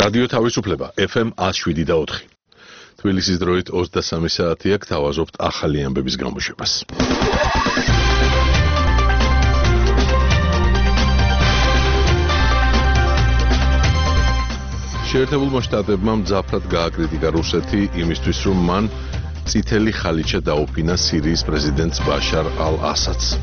რადიო თავისუფლება FM 107.4. თბილისის დროით 23 საათია, გთავაზობთ ახალი ამბების გამოშვებას. შეერთებულმა შტატებმა მძაფრად გააკრიტიკა რუსეთი იმისთვის, რომ მან წითელი ხალიჩა დაუფინა სირიის პრეზიდენტს ბაშარ ალ-ასადს.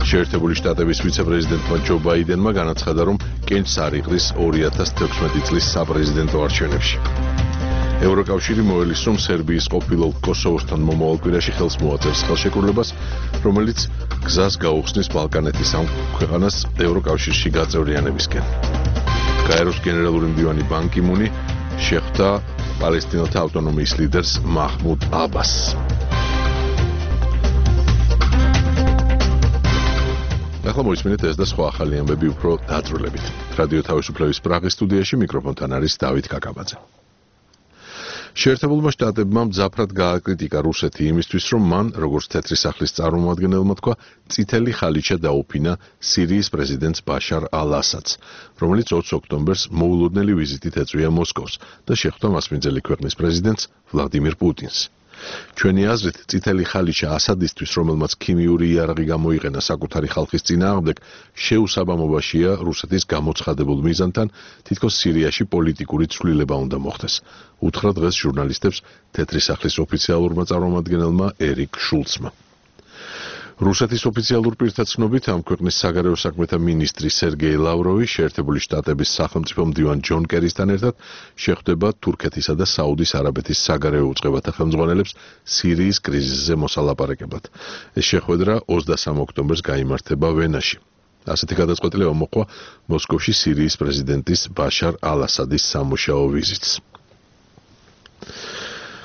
შეერთებული შტატების ვიცე-პრეზიდენტმა ჯო ბაიდენმა განაცხადა, რომ კენჭს არ იღრის 2016 წლის საპრეზიდენტო არჩევნებში. ევროკავშირი მოელის, რომ სერბიის ყოფილ კოსოვოსთან მომავალ კვირაში ხელს მოაწერს ხელშეკრულებას, რომელიც გზას გაუხსნის ბალკანეთის ამ ქვეყანას ევროკავშირში გაწევრიანებისკენ. გაეროს გენერალური მდივანი ბან კი მუნი შეხვდა პალესტინელთა ავტონომიის ლიდერს მაჰმუდ აბასს. ახლა მოისმინეთ ეს და სხვა ახალი ამბები უფრო დაწვრილებით. რადიო თავისუფლების პრაღის სტუდიაში მიკროფონთან არის დავით კაკაბაძე. შეერთებულმა შტატებმა მძაფრად გააკრიტიკა რუსეთი იმისთვის, რომ მან, როგორც თეთრი სახლის წარმომადგენელმა თქვა, წითელი ხალიჩა დაუფინა სირიის პრეზიდენტს ბაშარ ალ-ასადს, რომელიც 20 ოქტომბერს მოულოდნელი ვიზიტით ეწვია მოსკოვს და შეხვდა მასპინძელი ქვეყნის პრეზიდენტს ვლადიმირ პუტინს. ჩვენი აზრით, წითელი ხალიჩა ასადისთვის, რომელმაც ქიმიური იარაღი გამოიყენა საკუთარი ხალხის წინააღმდეგ, შეუსაბამობაშია რუსეთის გამოცხადებულ მიზანთან, თითქოს სირიაში პოლიტიკური ცვლილება უნდა მოხდეს. უთხრა დღეს ჟურნალისტებს თეთრი სახლის ოფიციალურმა წარმომადგენელმა ერიკ შულცმა. რუსეთის ოფიციალურ პირთა ცნობით, ამ ქვეყნის საგარეო საქმეთა მინისტრი სერგეი ლავროვი შეერთებული შტატების სახელმწიფო მდივან ჯონ კერისთან ერთად შეხვდება თურქეთისა და საუდის არაბეთის საგარეო უწყებათა ხელმძღვანელებს სირიის კრიზისზე მოსალაპარაკებლად. ეს შეხვედრა 23 ოქტომბერს გაიმართება ვენაში. ასეთი გადაწყვეტილება მოჰყვა მოსკოვში სირიის პრეზიდენტის ბაშარ ალ-ასადის სამუშაო ვიზიტს.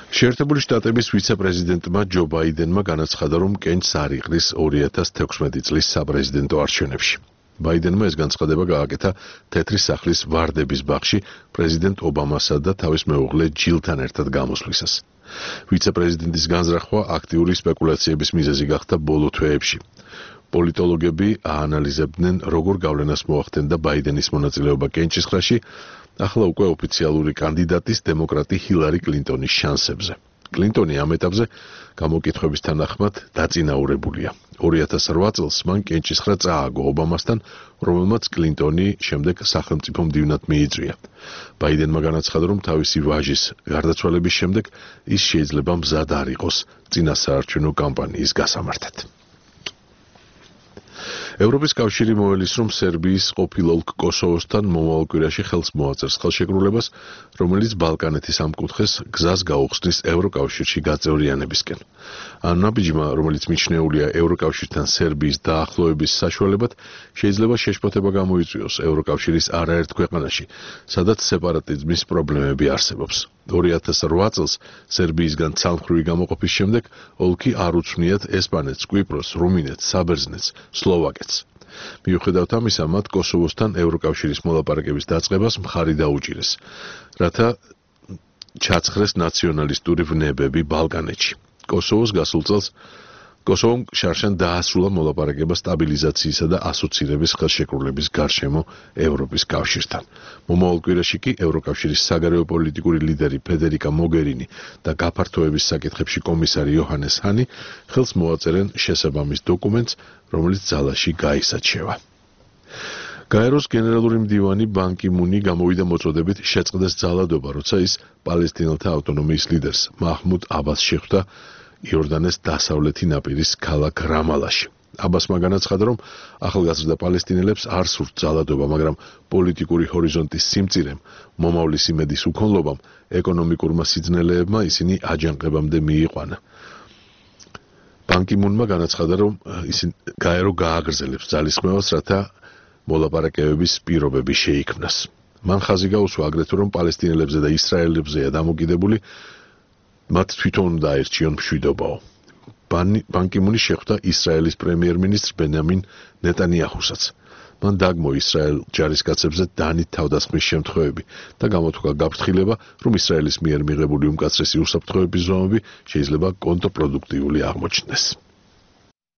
შეერთებული შტატების ვიცე-პრეზიდენტმა ჯო ბაიდენმა განაცხადა, რომ კენჭს არ იღრის 2016 წლის საპრეზიდენტო არჩევნებში. ბაიდენმა ეს განცხადება გააკეთა თეთრი სახლის ვარდების ბაღში პრეზიდენტ ობამასა და თავის მეუღლე ჯილთან ერთად გამოსვლისას. ვიცე-პრეზიდენტის განზრახვა აქტიური სპეკულაციების მიზეზი გახდა ბოლო თვეებში. პოლიტოლოგები აანალიზებდნენ, როგორ გავლენას მოახდენდა ბაიდენის მონაწილეობა კენჭისყრაში, ახლა უკვე ოფიციალური კანდიდატის დემოკრატი ჰილარი კლინტონის შანსებზე. კლინტონი ამ ეტაპზე გამოკითხვების თანახმად დაწინაურებულია. 2008 წელს მან კენჭისყრა წააგო ობამასთან, რომელმაც კლინტონი შემდეგ სახელმწიფო მდივნად მიიწვია. ბაიდენმა განაცხადა, რომ თავისი ვაჟის გარდაცვალების შემდეგ ის შეიძლება მზად არ იყოს წინასაარჩევნო კამპანიის გასამართად. ევროპის კავშირი მოელის, რომ სერბიის ყოფილ ოლქ კოსოვოსთან მომავალ კვირაში ხელს მოაწერს ხელშეკრულებას, რომელიც ბალკანეთის ამ კუთხეს გზას გაუხსნის ევროკავშირში გაწევრიანებისკენ. ამ ნაბიჯმა, რომელიც მიჩნეულია ევროკავშირთან სერბიის დაახლოების საშუალებად, შეიძლება შეშფოთება გამოიწვიოს ევროკავშირის არაერთ ქვეყანაში, სადაც სეპარატიზმის პრობლემები არსებობს. 2008 წელს სერბიისგან ცალმხრივი გამოყოფის შემდეგ ოლქი არ უცვნიათ ესპანეთს, კვიპროსს, რუმინეთს, საბერძნეთს, სლოვაკეთს. მიუხედავად ამისა, მათ კოსოვოსთან ევროკავშირის მოლაპარაკების დაწყებას მხარი დაუჭირეს, რათა ჩაცხრეს ნაციონალისტური ვნებები ბალკანეთში. კოსოვომ შარშან დაასრულა მოლაპარაკება სტაბილიზაციისა და ასოცირების ხელშეკრულების გარშემო ევროპის კავშირთან. მომავალ კვირაში კი ევროკავშირის საგარეო პოლიტიკური ლიდერი ფედერიკა მოგერინი და გაფართოების საკითხებში კომისარი იოჰანეს ჰანი ხელს მოაწერენ შესაბამის დოკუმენტს, რომელიც ძალაში გაისაჩევა. გაეროს გენერალური მდივანი ბან კი მუნი გამოვიდა მოწოდებით შეწყდეს ძალადობა, როცა ის პალესტინელთა ავტონომიის ლიდერს მაჰმუდ აბასს შეხვდა იორდანეს დასავლეთი ნაპირის ქალაქ რამალაში. აბასმა განაცხადა, რომ ახალგაზრდა პალესტინელებს არ სურთ ძალადობა, მაგრამ პოლიტიკური ჰორიზონტის სიმწირემ, მომავლის იმედის უქონლობამ, ეკონომიკურმა სიძნელეებმა ისინი აჯანყებამდე მიიყვანა. ბან კი მუნმა განაცხადა, რომ გაერო გააგრძელებს ძალისხმევას, რათა მოლაპარაკებების პირობები შეიქმნას. მან ხაზი გაუსვა აგრეთვე, რომ პალესტინელებზე და ისრაელებზეა დამოკიდებული, მათ თვითონ დაერჩიონ მშვიდობაო. ბან კი მუნი შეხვდა ისრაელის პრემიერ-მინისტრ ბენიამინ ნეტანიაჰუსაც. მან დაგმო ისრაელ ჯარისკაცებზე დანით თავდასხმის შემთხვევები და გამოთქვა გაფრთხილება, რომ ისრაელის მიერ მიღებული უმკაცრესი უსაფრთხოების ზომები შეიძლება კონტრპროდუქტიული აღმოჩნდეს.